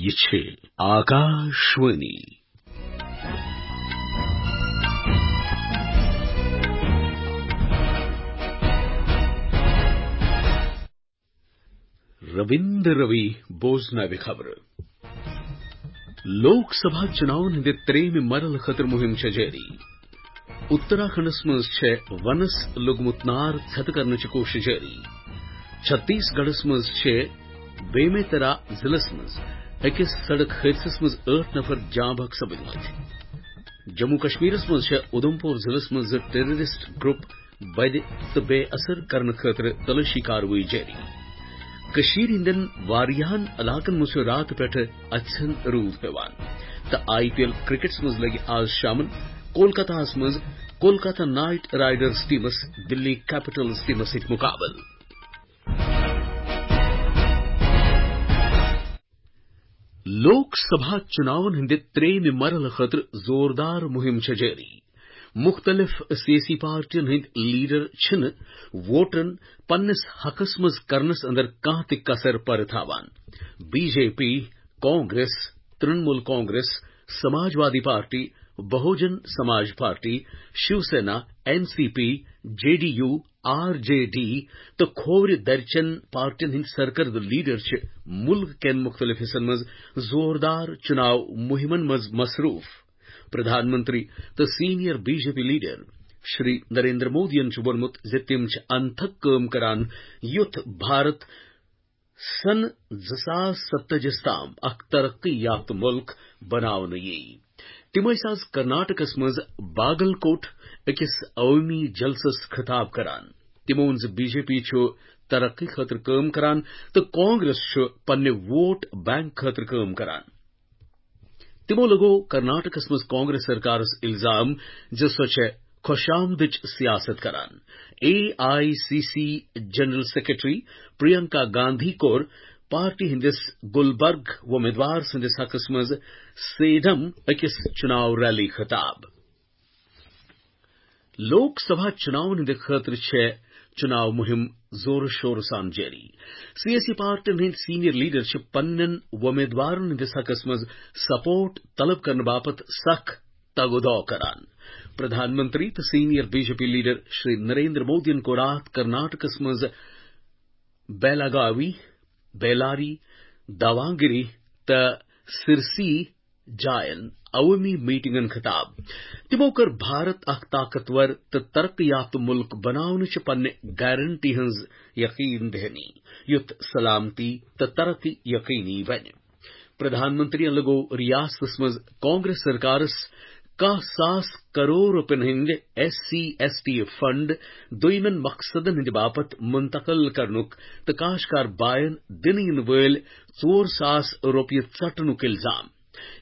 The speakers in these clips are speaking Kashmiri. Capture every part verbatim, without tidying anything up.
یہِ چھِ آکاشوانی۔ رٔوِندر روی بوزناوِ خبرٕ۔ لوک سبھا چُناون ہٕنٛدِ ترٛیٚیِمہِ مرحلہٕ خٲطرٕ مُہِم چھےٚ جٲری۔ اُتراکھنڈس منٛز چھےٚ ونس لوٚگمُت نار ژھٮ۪تہٕ کرنٕچ کوٗشش جٲری۔ چھتیس گڑھس منٛز چھےٚ بیمیترا ضلعس منٛز أکِس سڑک حٲدثس منٛز ٲٹھ نفر جاں بحق سپٕدمٕتۍ۔ جموں کشمیرس منٛز چھےٚ اُدھمپور ضلعس منٛز زٕ ٹیررسٹ گروپ بدِ تہٕ بے اثر کرنہٕ خٲطرٕ تلٲشی کاروٲیی جٲری۔ کٔشیٖرِ ہٕنٛدٮ۪ن واریاہن علاقن منٛز چھُ راتہٕ پٮ۪ٹھٕ اَژھٮ۪ن روٗد پٮ۪وان۔ تہٕ آئی پی ایل کرکٹس منٛز لگہِ آز شامن کولکتہس منٛز کولکتہ نائٹ رائیڈرز ٹیمس دلی کیپٹلز ٹیمس سۭتۍ مُقابلہٕ۔ لوک سبھا چُناون ہٕنٛدِ ترٛیٚیِمہِ مرحلہٕ خٲطرٕ زوردار مُہِم چھےٚ جٲری۔ مُختٔلِف سیٲسی پارٹین ہٕنٛدۍ لیڈر چھِنہٕ ووٹرن پننِس حقس منٛز کرنس اندر کانٛہہ تہِ کسر پرٕ تھاوان۔ B J P, Congress, Trinamool Congress, Samajwadi party, Bahujan Samaj party, Shiv Sena, N C P, J D U, R J D تہٕ کھوورِ درچن پارٹین ہٕنٛدۍ سرکردٕ لیڈر چھِ مُلک کٮ۪ن مُختٔلِف حصن منٛز زوردار چُناو مُہِمن منٛز مصروٗف۔ پرٛدھان منتری تہٕ senior B J P leader Shri Narendra مودیَن چھُ ووٚنمُت زِ تِم چھِ انتھک کٲم کران، یُتھ بھارت سن زٕ ساس ستتٲجی تام اکھ ترقی یافتہٕ مُلک بناونہٕ یِیہِ۔ تِم ٲسۍ آز کرناٹکس منٛز باگل کوٹ أکِس عوٲمی جلسس خطاب کران۔ تِمو ووٚن زِ بی جے پی چھُ ترقی خٲطرٕ کٲم کران تہٕ کانگریس چھُ پننہِ ووٹ بینک خٲطرٕ کٲم کران۔ تِمو لگوو کرناٹکس منٛز کانگریس سرکارس الزام زِ سۄ چھےٚ خۄشامدٕچ سیاست کران۔ A I C C general secretary Priyanka Gandhi کوٚر پارٹی ہٕنٛدِس گلبرگ وۄمیدوار سٕنٛدِس حقس منٛز سیڈم أکِس چُناو ریلی خطاب۔ لوک سبھا چُناون ہٕنٛدِ خٲطرٕ چھےٚ چُناو مُہِم زورٕ شورٕ سان جٲری۔ سیٲسی پارٹین ہٕنٛدۍ سینئر لیڈر چھِ پننٮ۪ن وۄمیدوارن ہٕنٛدِس حقس منٛز سپورٹ طلب کرنہٕ باپتھ سخ تگ و دو کران۔ پرٛدھان منتری تہٕ senior B J P leader Shri Narendra مودیَن کوٚر راتھ کرناٹکس منٛز بیلاگاوی، بیلاری، داوانگری تہٕ سرسی جاین عوٲمی میٹنگن خطاب۔ تِمو کٔر بھارت اکھ طاقتور تہٕ ترقی یافتہٕ مُلک بناونٕچ پننہِ گارنٹی ہٕنٛز یقین دہانی، یُتھ سلامتی تہٕ ترقی یقینی بنہِ۔ پرٛدھان منتریَن لگوو ریاستس منٛز کانگریس سرکارس کاہ ساس کرور رۄپین ہٕنٛدۍ S C S T fund دوٚیمٮ۪ن مقصدن ہٕنٛدِ باپتھ منتقل کرنُک تہٕ کاشتکار باین دِنہٕ یِنہٕ وٲلۍ ژور ساس رۄپیہِ ژٹنُک الزام،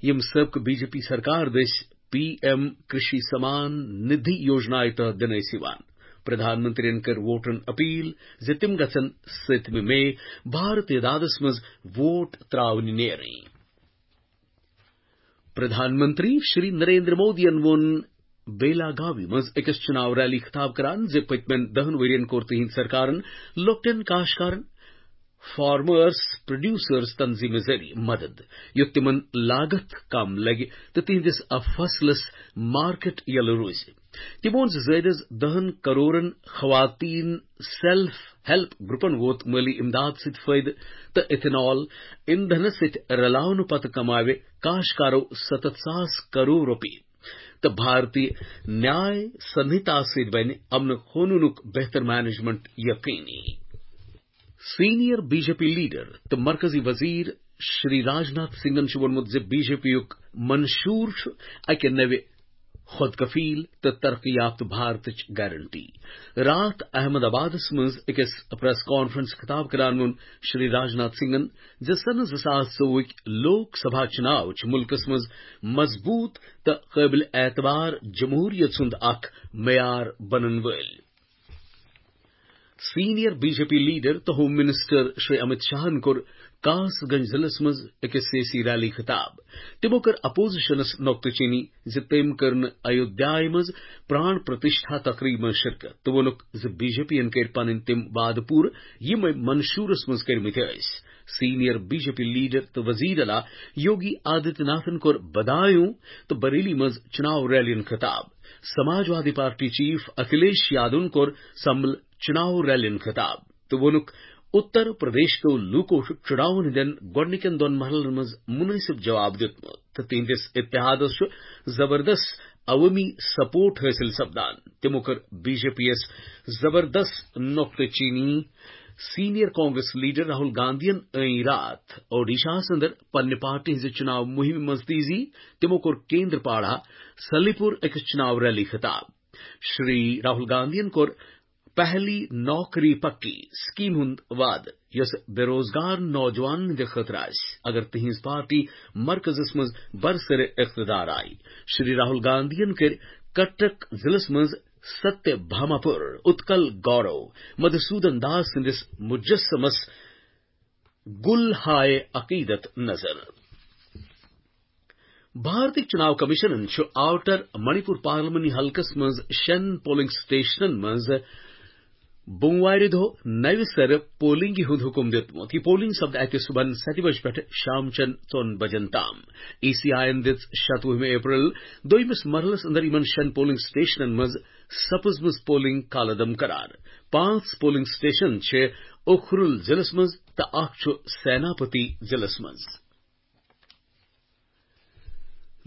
یِم سٲبقہٕ بی جے پی سرکار دٔسۍ پی ایم کرشی سمان ندھی یوجنایہِ تحت دِنہٕ ٲسۍ یِوان۔ پرٛدھان منتریَن کٔر ووٹرن اپیل زِ تِم گژھن ستمہِ مئی بھارت اعدادس منٛز ووٹ ترٛاونہِ نیرٕنۍ۔ پرٛدھان منتری شری نریندر مودیَن ووٚن بیلاگاوی منٛز أکِس چُناو ریلی خطاب کران زِ پٔتمٮ۪ن دَہَن ؤرین کوٚر تِہنٛدِ سرکارن لۄکٹٮ۪ن کاشتکارن، فارمرز پروڈیوسرز تنظیمہِ ذٔریعہٕ مدد، یُتھ تِمن لاگت کم لگہِ تہٕ تِہنٛدِس فصلس مارکیٹ یلہٕ روزِ۔ تِمو ووٚن زِ زٲیدٕ دَہَن کرورن خواتین سیلف ہیلپ گروپن ووت مٲلی امداد سۭتۍ فٲیدٕ تہٕ ایتھنال ایندھنس سۭتۍ رلاونہٕ پتہٕ کماوِ کاشتکارو ستتھ ساس کرور رۄپیہِ تہٕ بھارتی نیاے سنہتا سۭتۍ بنہِ امن قونوٗنُک بہتر مینجمنٹ یقینی۔ Senior B J P leader تہٕ مرکزی وزیر شری راجناتھ سنگھن چھُ ووٚنمُت زِ بی جے پی یُک منشور چھُ اکہِ نوِ خود کفیل تہٕ ترقی یافتہٕ بھارتٕچ گارنٹی۔ راتھ احمد آبادس منٛز أکِس پریس کانفرنس خطاب کران ووٚن شری راجناتھ سنگھن زِ سنہٕ زٕ ساس ژوٚوُہٕکۍ لوک سبھا چُناو چھِ مُلکس منٛز مضبوٗط تہٕ قٲبلِ اعتبار جمہوٗریت ہُنٛد اکھ معیار بنن وٲلۍ۔ Senior B J P leader تہٕ ہوم منسٹر شری امت شاہن کوٚر کاس گنج ضلعس منٛز أکِس سیٲسی ریلی خطاب۔ تِمو کٔر اپوزیشنس نۄقطہٕ چینی زِ تٔمۍ کٔر نہٕ ایودھیایہِ منٛز پران پرتشٹھا تقریبہِ منٛز شرکت تہٕ ووٚنُکھ زِ بی جے پی ین کٔرۍ پنٕنۍ تِم وعدٕ پوٗرٕ، یِم أمۍ منشورس منٛز کٔرمٕتۍ ٲسۍ۔ Senior B J P leader تہٕ وزیر اعلیٰ یوگی آدتیہ ناتھن کوٚر بدایوں تہٕ بریلی منٛز چناو ریلین خطاب۔ سماجوادی پارٹی چیف اکھلیش یادون کوٚر سمبل چناو ریلین خطاب تہٕ ووٚنُکھ، اتر پردیش کیو لوٗکو چھُ چناون ہٕنٛدٮ۪ن گۄڈٕنِکٮ۪ن دۄن مرحلن منٛز مُنٲسِب جواب دیُتمُت تہٕ تِہنٛدِس اتحادس چھُ زبردست عوٲمی سپورٹ حٲصِل سپدان۔ تِمو کٔر بی جے پی یَس زبردست نۄقطہٕ چینی۔ سینئر کانگریس لیڈر راہل گاندھین ٲنۍ راتھ اوڈیشاہس اندر پننہِ پارٹی ہٕنٛزِ چناو مُہِمہِ منٛز تیزی۔ تِمو کوٚر کیندر پاڑا سلیپور أکِس چناو ریلی خطاب۔ شری راہل گاندھین کوٚر پہلی نوکری پکی سکیمہِ ہُنٛد وعدٕ، یۄس بے روزگار نوجوانن ہٕنٛدِ خٲطرٕ آسہِ، اگر تِہنٛز پارٹی مرکزس منٛز برسر اقتدار آیہِ۔ شری راہل گاندھین کٔرۍ کٹک ضلعس منٛز ستیہ بھاماپور اتکل گورو مدھوسودن داس سٕنٛدِس مجسمس گُل ہائے عقیدت نظر۔ بھارتی چناو کمیشنن چھُ آوٹر منی پور پارلیمانی حلقس منٛز شٮ۪ن پولنگ سٹیشنن منٛز بوموارِ دۄہ نوِ سرٕ پولنگہِ ہُنٛد حکم دیُتمُت۔ یہِ پولنگ سپدِ اتہِ صبحن ستہِ بجہِ پٮ۪ٹھٕ شام چٮ۪ن ژۄن بجن تام۔ ای سی آئی یَن دِژ شتوُہمہِ اپریل دوٚیمِس مرحلس اندر یِمن شٮ۪ن پولنگ سٹیشنن منٛز سپٕزمٕژ پولنگ کالعدم قرار۔ پانٛژھ پولنگ سٹیشن چھِ اُکھرُل ضلعس منٛز تہٕ اکھ چھُ سیناپتی ضلعس منٛز۔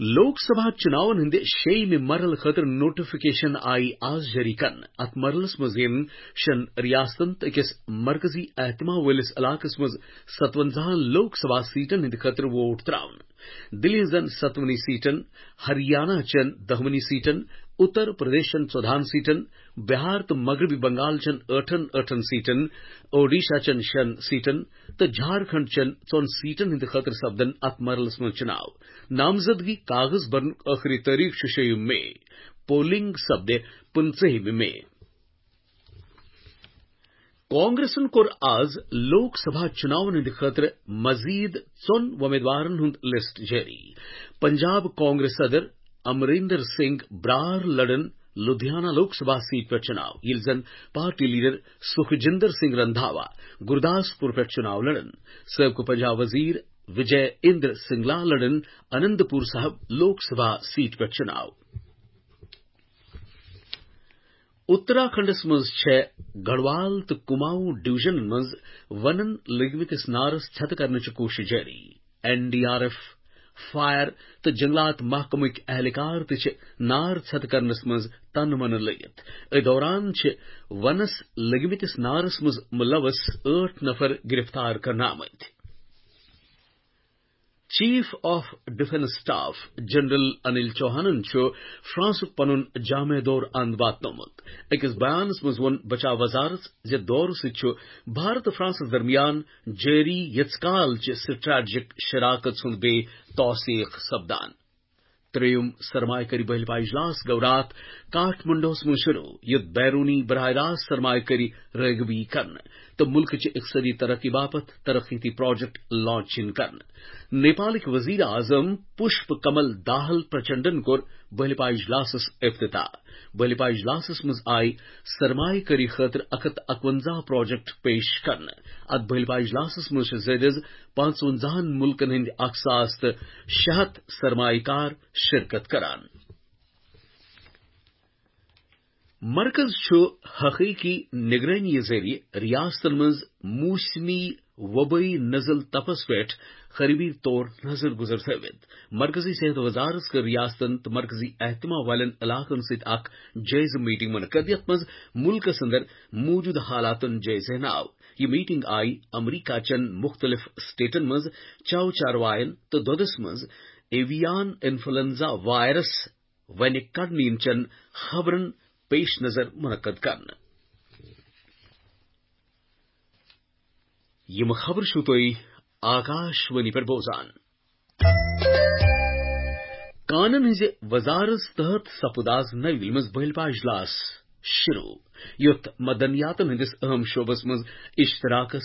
لوک سبھا چناون ہٕنٛدِ شیٚیِمہِ مرحلہٕ خٲطرٕ نوٹیفکیشن آیہِ آز جٲری کرنہٕ۔ اتھ مرحلس منٛز یِن شٮ۪ن ریاستن تہٕ أکِس مرکزی اہتمام وٲلِس علاقس منٛز ستونزاہن لوک سبھا سیٹن ہٕنٛدِ خٲطرٕ ووٹ تراونہٕ۔ دِلہِ ہٕنٛزن ستونی سیٹن، ہریانہ چٮ۪ن دہونی سیٹن، اتر پردیشن ژۄدہن سیٹن، بہار تہٕ مغربی بنگال چٮ۪ن ٲٹھن ٲٹھن سیٹن، اوڈیشہ چٮ۪ن شٮ۪ن سیٹن تہٕ جھارکھنڈ چٮ۪ن ژۄن سیٹن ہٕنٛدِ خٲطرٕ سپدن اتھ مرحلس منٛز چناو۔ نامزدگی کاغذ برنُک ٲخری تٲریخ چھُ شیٚیِم مئی۔ پولنگ سپدِ پٕنٛژٕہمہِ مئی۔ کانگریسن کوٚر آز لوک سبھا چناون ہٕنٛدِ خٲطرٕ مزید ژۄن وۄمیدوارن ہُنٛد لسٹ جٲری۔ پنجاب کانگریس صدر امریندر سنگھ برار لڑن لدھیانہ لوک سبھا سیٹ پٮ۪ٹھ چناو، ییٚلہِ زن پارٹی لیڈر سکھجندر سنگھ رندھاوا گورداسپور پٮ۪ٹھ چناو لڑن۔ سٲبقہٕ پنجاب وزیر وجے اندر سنگلا لڑن انندپور صاحب لوک سبھا سیٹ پٮ۪ٹھ چناو۔ اتراکھنڈس منٛز چھےٚ گڑھوال تہٕ کماؤں ڈویژنن منٛز ونن لٔگمٕتِس نارس ژھٮ۪تہٕ کرنٕچ کوٗشش جٲری۔ N D R F, fire تہٕ جنگلات محکمٕکۍ اہلکار تہِ چھِ نار ژھٮ۪تہٕ کرنس منٛز تنہٕ منہٕ لٔگِتھ۔ أتھۍ دوران چھِ ونس لٔگمٕتِس نارس منٛز ملوث ٲٹھ نفر گرفتار کرنہٕ آمٕتۍ۔ Chief of defence staff general Anil چوہانن چھُ فرانسُک پنُن جامع دورٕ اند واتنومُت۔ أکِس بیانس منٛز ووٚن بچاو وزارت زِ دورٕ سۭتۍ چھُ بھارت تہٕ فرانسس درمیان جٲری یژھ کال چہِ سٹریٹجک شراکت ہُنٛد بیٚیہِ توثیق سپدان۔ ترٛیٚیِم سرمایہ کٲری بحلہِ پا اجلاس گوٚو راتھ کاٹھ منڈوہس منٛز شروع، یُتھ بیرونی براہ راست سرمایہ کٲری رٲغبی کرنہٕ تہٕ مُلکٕچہِ اقتصٲدی ترقی باپتھ ترقیتی پروجیکٹ لانچ یِن کرنہٕ۔ نیپالٕکۍ وزیر اعظم پشپ کمل داہل پرچنڈن کوٚر بحلہِ پا اجلاسس افتتاح۔ بحلہِ پا اجلاسس منٛز آیہِ سرمایہ کٲری خٲطرٕ اکھ ہتھ اکونزہ پروجیکٹ پیش کرنہٕ۔ اتھ بحلہِ پا اجلاسس منٛز چھِ زیادٕ از پانٛژونزاہن مُلکن ہٕنٛدۍ اکھ ساس تہٕ شےٚ ہتھ سرمایہ کار شرکت کران۔ مرکز چھُ حقیقی نگرٲنی ذٔریعہٕ ریاستن منٛز موسمی وبٲیی نزل تپس پٮ۪ٹھ خرٲبی طور نظر گزر تھٲوِتھ۔ مرکزی صحت وزارت کٔر ریاستن تہٕ مرکزی اہتمام والٮ۪ن علاقن سۭتۍ اکھ جٲیزٕ میٹنگ منعقد، یتھ منٛز مُلکس اندر موجودٕ حالاتن جٲیزٕ ہینہٕ آو۔ یہِ میٹنگ آیہِ امریکہ چٮ۪ن مُختٔلِف سٹیٹن منٛز چَو چاروایَن تہٕ دۄدَس منٛز ایویان انفلونزا وائرس وَنہِ کڑنہٕ یِنہٕ چٮ۪ن خبرن پیش نظر منعقد کرنہٕ۔ یِم خبرٕ چھِو تُہۍ آکاش وانی پٮ۪ٹھ بوزان۔ کانن ہٕنٛزِ وزارت تحت سپُد آز نَوِ دِلہِ منٛز بٔلۍ پا اجلاس شروع، یُتھ مدنیاتن ہٕنٛدِس اہم شعبس منٛز اشتراکس،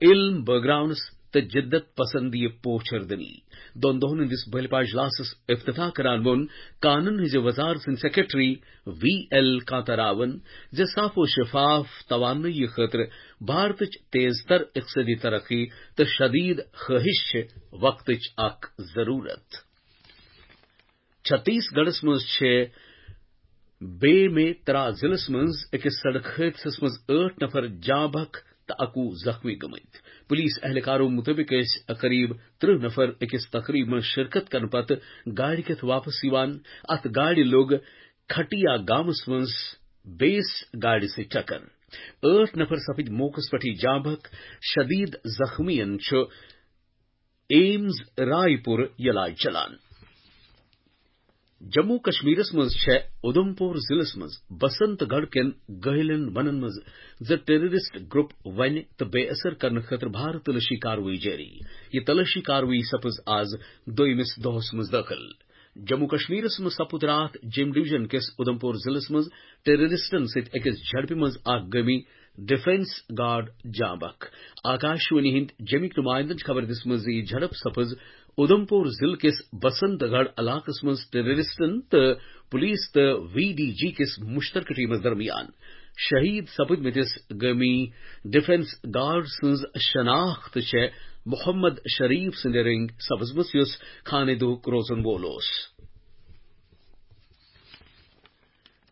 علم بٲگراونس تہٕ جدت پسندی پوچھر دنی۔ دۄن دۄہن ہٕنٛدِس بلپا اجلاسس افتتاح کران ووٚن کانون ہٕنٛزِ وزارت سٕنٛدۍ سیکرٹری وی ایل کانتا راون زِ صاف و شفاف توانٲیی خٲطرٕ بھارتٕچ تیز تر اقتصٲدی ترقی تہٕ شدید خٲہِش چھِ وقتٕچ اکھ ضروٗرت۔ چھتیس گڑھس منٛز چھِ بے میں ترا ضلعس منٛز أکِس سڑک حٲدثس منٛز ٲٹھ نفر جاں بحق تہٕ اَکوُہ زخمی گٔمٕتۍ۔ پولیس اہلکارو مُطٲبِق ٲسۍ قریب ترٕہ نفر أکِس تقریب منٛز شرکت کرنہٕ پتہٕ گاڑِ کٮ۪تھ واپس یِوان۔ اَتھ گاڑِ لوٚگ کھٹیا گامس منٛز بیٚیِس گاڑِ سۭتۍ ٹکر۔ ٲٹھ نفر سپٕدۍ موقعس پٮ۪ٹھٕے جاں بحق۔ شدید زخمیَن چھُ ایمز رائے پور علاج چلان۔ جموں کشمیرس منٛز چھےٚ اُدھمپور ضلعس منٛز بسنت گڑھ کٮ۪ن گٲلٮ۪ن ونن منٛز زٕ ٹیررسٹ گروپ ونہِ تہٕ بے اثر کرنہٕ خٲطرٕ بھارت تلٲشی کاروٲیی جٲری۔ یہِ تلٲشی کاروٲیی سپٕز آز دوٚیمِس دۄہس منٛز دٲخل۔ جموں کشمیرس منٛز سپُد راتھ جیم ڈویژن کِس اُدھمپور ضلعس منٛز ٹیررسٹن سۭتۍ أکِس جھڑپہِ منٛز اکھ گٲمی ڈیفنس گارڈ جاں بحق۔ آکاشوانی ہٕنٛدۍ جیمِکۍ نمائندن چھِ خبر دِژمٕژ زِ یہِ جھڑپ سپٕز اُدھمپور ضلعہٕ کِس بسنت گڑھ علاقس منٛز ٹیررسٹن تہٕ پولیس تہٕ وی ڈی جی کِس مشترکہٕ ٹیمس درمیان۔ شہید سپٕدمٕتِس گٲمی ڈیفنس گارڈ سٕنٛز شناخت چھےٚ محمد شریف سٕنٛدِ رنگۍ سپٕزمٕژ، یُس خانہ دُہُک روزن وول اوس۔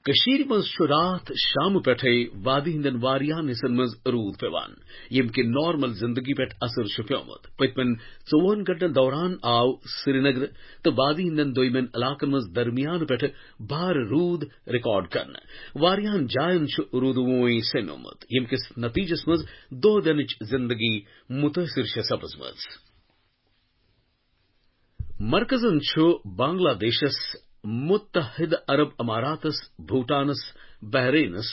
کٔشیٖرِ منٛز چھُ راتھ شامہٕ پٮ۪ٹھَے وادی ہٕنٛدٮ۪ن واریاہَن حصن منٛز روٗد پٮ۪وان، ییٚمہِ کِنۍ نارمل زِندگی پٮ۪ٹھ اثر چھُ پیومُت۔ پٔتمٮ۪ن ژوٚوُہَن گھنٹَن دوران آو سرینگر تہٕ وادی ہٕنٛدٮ۪ن دوٚیمٮ۪ن علاقَن منٛز درمیانہٕ پٮ۪ٹھٕ بھارٕ روٗد ریکارڈ کرنہٕ۔ واریاہَن جایَن چھُ روٗدٕ ووٗنۍ سیٚمیومُت، ییٚمہِ کِس نتیجس منٛز دۄہ دِنٕچ زِندگی مُتٲثِر چھےٚ سپٕزمٕژ۔ مرکزن چھُ بنگلہ دیشس، متحدہ عرب اماراتس، بھوٹانس، بحرینس،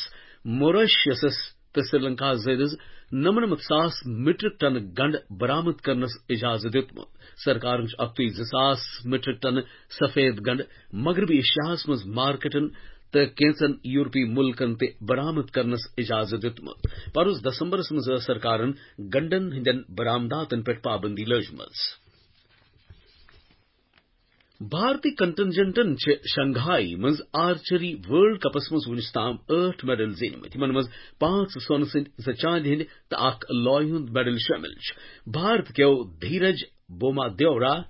موریشیسس تہٕ سری لنکاہس زٲیدٕ نَمنَمَتھ ساس میٹرک ٹن گنڈٕ برآمد کرنس اجازت دیُتمُت۔ سرکارن چھُ اکھتُے زٕ ساس میٹرک ٹن سفید گنڈٕ مغربی ایشیاہس منٛز مارکیٹن تہٕ کینژن یورپی ملکن تہِ برآمد کرنس اجازت دیُتمُت۔ پرُس دسمبرس منٛز ٲس سرکارن گنڈن ہٕنٛدٮ۪ن برآمداتن پٮ۪ٹھ پابندی لٲجمٕژ۔ بھارتی کنٹنجنٹن چھِ شنگھائی منٛز آرچری ورلڈ کپس منٛز وُنیُس تام ٲٹھ میڈل زیٖنۍمٕتۍ، یِمن منٛز پانٛژھ سۄنہٕ سٕنٛدۍ، زٕ چاندِ ہٕنٛدۍ تہٕ اکھ لویہِ ہُنٛد میڈل شٲمِل چھُ۔ بھارت کیو دھیرج بوما دیورا،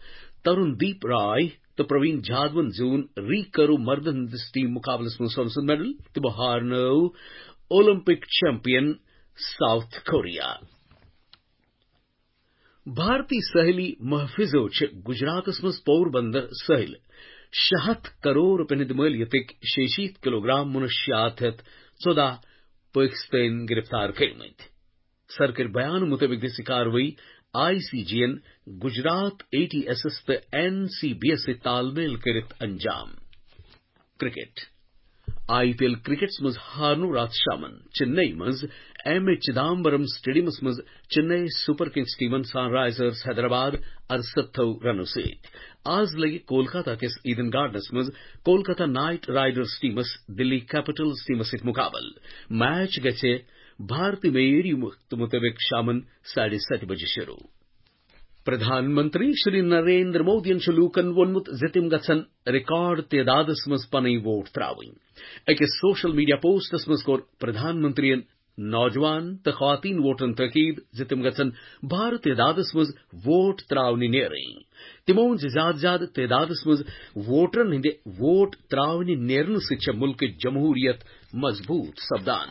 ترُن دیپ راے تہٕ پروین جادوَن زیوٗن ریکرو مردن ہٕنٛدِس ٹیم مقابلس منٛز سۄنہٕ سُنٛد میڈل۔ تِمو ہارنٲو اولمپک چیمپین ساؤتھ کوریا۔ بھارتی سٲحلی محافظو چھِ گجراتس منٛز پور بندر سٲحِل شےٚ ہَتھ کرور رۄپین ہٕنٛدِ مٲلیتٕکۍ شیٚیہِ شیٖتھ کلوگرام منشیات ہٮ۪تھ ژۄداہ پٲکِستٲنۍ گرفتار کٔرمٕتۍ۔ سرکٲرۍ بیان مُطٲبِق دِژ یہِ کاروٲیی آئی سی جی ین گجرات اے ٹی ایسس تہٕ این سی بی یس سۭتۍ تال میل کٔرِتھ انجام۔ کرکٹ۔ آئی پی ایل کرکٹس منٛز ہارنو راتھ شامن چنئی منٛز ایم اے چدامبرم سٹیڈیمس منٛز چنئی سپر کنگز ٹیمن سن رائزرز حیدرآباد ارستھو رنو سۭتۍ۔ آز لگہِ کولکاتہ کِس ایڈن گارڈنس منٛز کولکاتہ نائٹ رائیڈرز ٹیمس دلی کیپٹلز ٹیمس سۭتۍ مقابلہٕ۔ میچ گژھِ بھارتی معیٲری وقتہٕ مُطٲبِق شامن ساڑھے ستہِ بجہِ شروع۔ پردھان منتری شری نریندر مودیَن چھُ لوٗکَن ووٚنمُت زِ تِم گژھن ریکارڈ تعدادَس منٛز پنٕنۍ ووٹ ترٛاوٕنۍ۔ أکِس سوشل میڈیا پوسٹَس منٛز کوٚر پردھان منتریَن نوجوان تہٕ خواتین ووٹرَن تٲکید زِ تِم گژھن بھارٕ تعدادَس منٛز ووٹ ترٛاونہِ نیرٕنۍ۔ تِمو ووٚن زِ زیادٕ زیادٕ تعدادَس منٛز ووٹرَن ہٕنٛدِ ووٹ ترٛاونہِ نیرنہٕ سۭتۍ چھےٚ مُلکٕچ جمہوٗریت مضبوٗط سپدان۔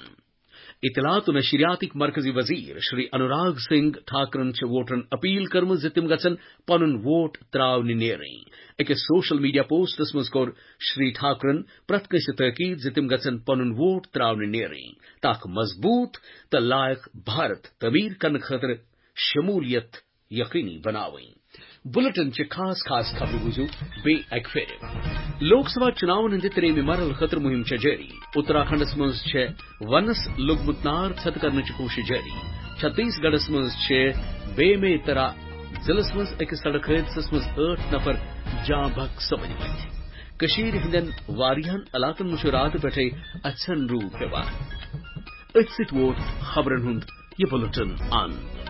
اطلاعات و نشریاتٕکۍ مرکزی وزیر شری انوراگ سنگھ ٹھاکرن چھِ ووٹرن اپیل کٔرمٕژ زِ تِم گژھن پنُن ووٹ ترٛاونہِ نیرٕنۍ۔ أکِس سوشل میڈیا پوسٹس منٛز کوٚر شری ٹھاکرن پرٛٮ۪تھ کٲنٛسہِ تٲکید زِ تِم گژھن پنُن ووٹ ترٛاونہِ نیرٕنۍ تہٕ اکھ مضبوٗط تہٕ لائق بھارت تعمیٖر کرنہٕ خٲطرٕ شمولیت یقینی بناوٕنۍ۔ بُلٹن چہِ خاص خاص خبرٕ بوٗزِو بیٚیہِ اکہِ پھِرِ۔ لوک سبھا چُناون ہٕنٛدِ ترٛیٚیمہِ مرحلہٕ خٲطرٕ مُہِم چھےٚ جٲری۔ اتراکھنڈس منٛز چھےٚ ونس لوٚگمُت نار ژھٮ۪تہٕ کرنٕچ کوٗشش جٲری۔ چھتیس گڑھس منٛز چھےٚ بے میں ترا ضلعس منٛز أکِس سڑک حٲدثس منٛز ٲٹھ نفر جاں بحق سپٕدمٕتۍ۔ کٔشیٖرِ ہٕنٛدٮ۪ن واریاہن علاقن منٛز چھُ راتہٕ پٮ۪ٹھے اَژھٮ۪ن روٗد پٮ۪وان۔ أتھۍ سۭتۍ ووت خبرن ہُنٛد یہِ بُلٹن اند۔